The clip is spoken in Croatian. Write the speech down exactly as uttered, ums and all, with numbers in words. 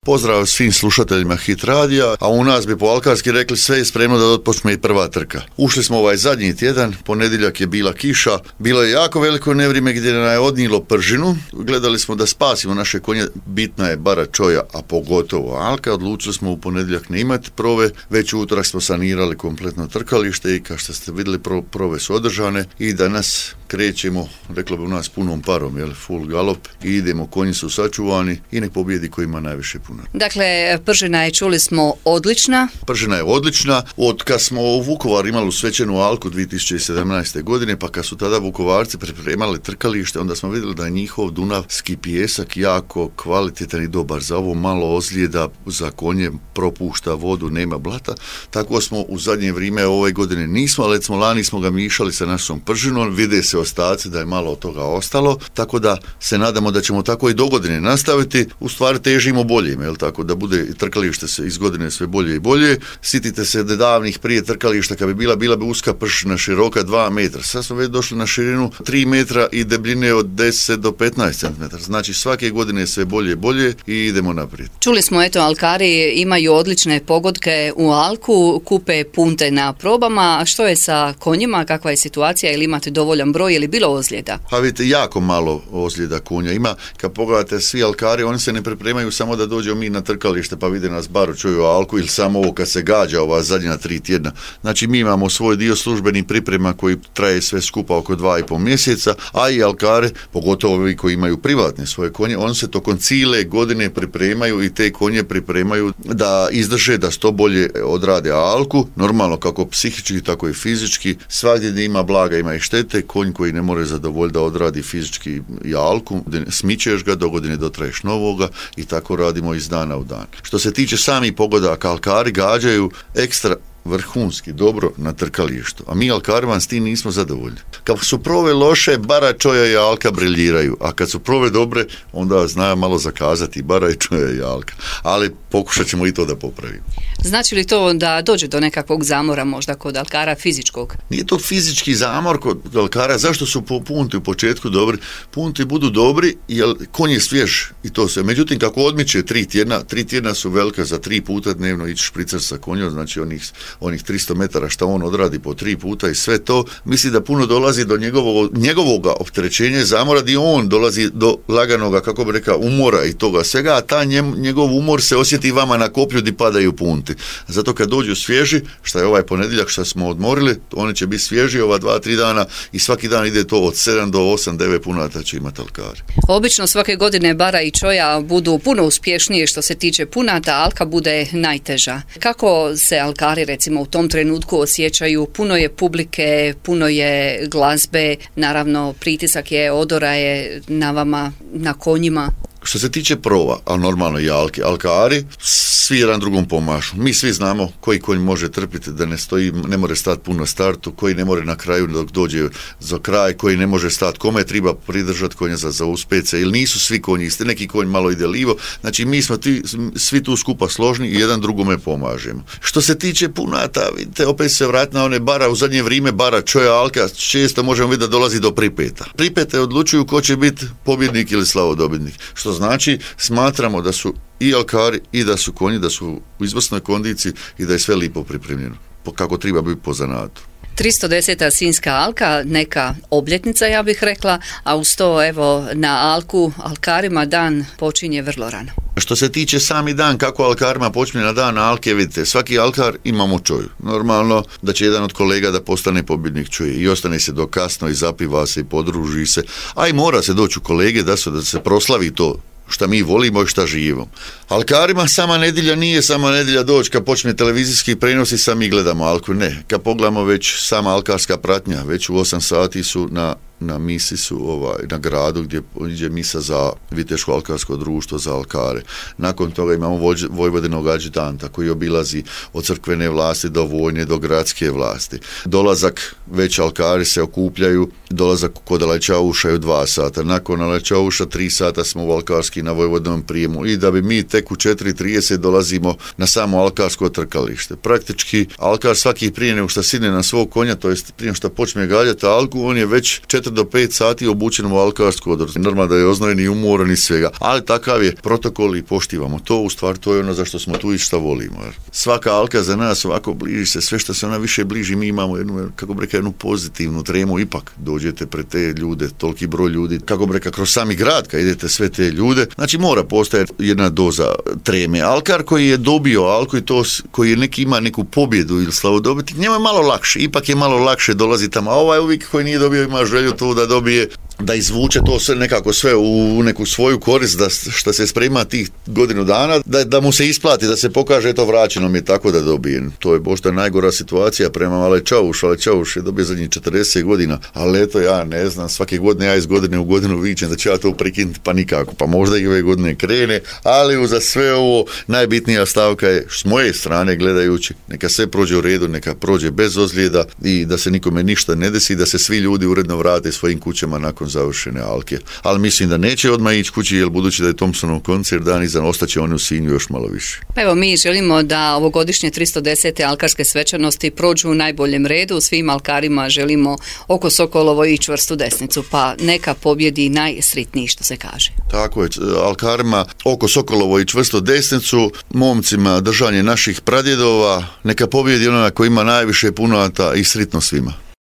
Pozdrav svim slušateljima Hit radija, a u nas bi po alkarski rekli sve je spremno da otpočne i prva trka. Ušli smo ovaj zadnji tjedan, ponedjeljak je bila kiša, bilo je jako veliko nevrijeme gdje nam je odnijelo pržinu, gledali smo da spasimo naše konje, bitna je bara čoja, a pogotovo alka, odlučili smo u ponedjeljak ne imati prove, već u utorak smo sanirali kompletno trkalište i kao što ste vidjeli pro, prove su održane i danas krećemo, reklo bi u nas punom parom, jel, full galop i idemo, konji su sačuvani i nek pobjedi koji ima najviše puno. Dakle, pržina je, čuli smo, odlična. Pržina je odlična. Od kad smo u Vukovaru imali svećenu alku dvije tisuće sedamnaeste. godine, pa kad su tada Vukovarci pripremali trkalište, onda smo vidjeli da je njihov dunavski pijesak jako kvalitetan i dobar. Za ovo malo ozljeda, za konje propušta vodu, nema blata. Tako smo u zadnje vrijeme ove godine nismo, ali smo lani smo ga mišali sa našom pržinom, vide se ostaci da je malo od toga ostalo, tako da se nadamo da ćemo tako i do godine nastaviti. U stvari težimo bolje, jel tako, da bude trkalište se iz godine sve bolje i bolje. Sitite se da davnih prije trkališta kad bi bila, bila bi uska pršina široka dva metra. Sad smo već došli na širinu tri metra i debljine od deset do petnaest centimetara. Znači svake godine je sve bolje i bolje i idemo naprijed. Čuli smo, eto, alkari imaju odlične pogodke u alku, kupe punte na probama. A što je sa konjima, kakva je situacija, ili imate dovoljan broj ili bilo ozljeda? Pa vidite, jako malo ozljeda konja ima. Kad pogledate svi alkari, oni se ne pripremaju samo da dođemo mi na trkalište pa vide nas baro čuju alku ili samo ovo kad se gađa ova zadnja tri tjedna. Znači mi imamo svoj dio službenih priprema koji traje sve skupa oko dva i pol mjeseca, a i alkare, pogotovo ovi koji imaju privatne svoje konje, oni se tokom cijele godine pripremaju i te konje pripremaju da izdrže, da što bolje odrade alku, normalno kako psihički, tako i fizički. Svagdje gdje ima blaga ima i štete, konj koji ne more zadovoljiti da odradi fizički i alku, smičeš ga, do godine dotraješ novoga i tako radimo iz dana u dan. Što se tiče samih pogodaka, alkari gađaju ekstra vrhunski, dobro na trkalištu. A mi alkari vam s tim nismo zadovoljni. Kad su prove loše, bara, čoja i alka briljiraju, a kad su prove dobre, onda znaju malo zakazati bara i čoja i alka. Ali pokušat ćemo i to da popravimo. Znači li to da dođe do nekakvog zamora možda kod alkara fizičkog? Nije to fizički zamor kod alkara. Zašto su punti u početku dobri? Punti budu dobri jer konj je svjež i to sve. Međutim, kako odmiče tri tjedna, tri tjedna su velika, za tri puta dnevno ići špricer sa konjom, znači onih onih tristo metara što on odradi po tri puta i sve to, misli da puno dolazi do njegovog, njegovoga opterećenja i zamora gdje on dolazi do laganoga, kako bi rekao, umora i toga svega, a ta njem, njegov umor se osjeti vama na koplju gdje padaju punti. Zato kad dođu svježi, što je ovaj ponedjeljak što smo odmorili, oni će biti svježi ova dva, tri dana i svaki dan ide to od sedam do osam, devet punata će imati alkari. Obično svake godine bara i čoja budu puno uspješnije što se tiče punata, alka bude najteža. Kako se alkari recimo u tom trenutku osjećaju? Puno je publike, puno je glazbe, naravno pritisak je, odora je na vama, na konjima. Što se tiče prova, a normalno i alke, alkari, svi jedan drugom pomažu. Mi svi znamo koji konj može trpiti da ne stoji, ne može stati puno startu, koji ne može na kraju dok dođe za kraj, koji ne može stati, kome treba pridržati konja za, za uspece, ili nisu svi konji isti, neki konj malo ide livo, znači mi smo ti, svi tu skupa složni i jedan drugome pomažemo. Što se tiče punata, vidite, opet se vrati na one bara, u zadnje vrijeme bara, čoja, alka, često možemo vidjeti da dolazi do pripeta. Pripete odlučuju ko će biti pobjednik ili slavodobitnik, što znači smatramo da su i alkari i da su konji, da su u izvrsnoj kondiciji i da je sve lipo pripremljeno, kako treba biti po zanatu. tristo deseta Sinjska alka, neka obljetnica, ja bih rekla, a uz to, evo, na alku, alkarima dan počinje vrlo rano. Što se tiče sami dan, kako alkarima počinje na dan alke, vidite, svaki alkar imamo čoju. Normalno da će jedan od kolega da postane pobjednik čuje i ostane se do kasno i zapiva se i podruži se, a i mora se doći u kolege da se, da se proslavi to šta mi volimo i šta živimo. Alkarima sama nedjelja nije sama nedjelja doći kad počne televizijski prenos i sami gledamo alku. Ne, kad pogledamo već sama alkarska pratnja, već u osam sati su na na misi su ovaj, na gradu gdje iđe misa za Viteško alkarsko društvo za alkare. Nakon toga imamo vođ, Vojvodinog adjutanta koji obilazi od crkvene vlasti do vojne do gradske vlasti. Dolazak, već alkari se okupljaju, dolazak kod Alečauša je u dva sata. Nakon Alečauša tri sata smo u alkarski na Vojvodinom prijemu i da bi mi tek u četiri trideset dolazimo na samo alkarsko trkalište. Praktički alkar svaki prije nego što sidne na svog konja, to jest prije što počne galjati alku, on je već četiri četiri do pet sati obučen u alkarsku odor. Normalno da je oznojen i umoran i svega, ali takav je protokol i poštivamo to, u stvari to je ono zašto smo tu i šta volimo. Svaka alka za nas ovako bliži se, sve što se ona više bliži, mi imamo jednu, kako bi rekao, jednu pozitivnu tremu, ipak dođete pred te ljude, toliki broj ljudi, kako bi rekao, kroz sami grad, kad idete sve te ljude, znači mora postojati jedna doza treme. Alkar koji je dobio alku i to, koji je neki ima neku pobjedu ili slavodobitnik, njima je malo lakše, ipak je malo lakše dolazi tamo, a ovaj uvijek koji nije dobio ima želju to da dobije, da izvuče to sve nekako sve u neku svoju korist, da što se sprema tih godinu dana, da, da mu se isplati, da se pokaže to vraćeno mi je tako da dobije. To je možda najgora situacija prema Ale Čauš, Ale Čauš je dobio zadnjih četrdeset godina, ali eto ja ne znam, svake godine ja iz godine u godinu vičem da će ja to prekinuti, pa nikako, pa možda i ove godine krene, ali uza sve ovo najbitnija stavka je s moje strane gledajući, neka sve prođe u redu, neka prođe bez ozljeda i da se nikome ništa ne desi, da se svi ljudi uredno vrate svojim kućama nakon završene alke. Ali mislim da neće odmah ići kući, jer budući da je Thompsonov koncert dan iza, ostaće oni u Sinju još malo više. Pa evo, mi želimo da ovogodišnje tristo desete alkarske svečanosti prođu u najboljem redu. Svim alkarima želimo oko Sokolovo i čvrstu desnicu, pa neka pobjedi najsritniji, što se kaže. Tako je, alkarima oko Sokolovo i čvrstu desnicu, momcima držanje naših pradjedova, neka pobjedi onaj koji ima najviše punata i sritno svima.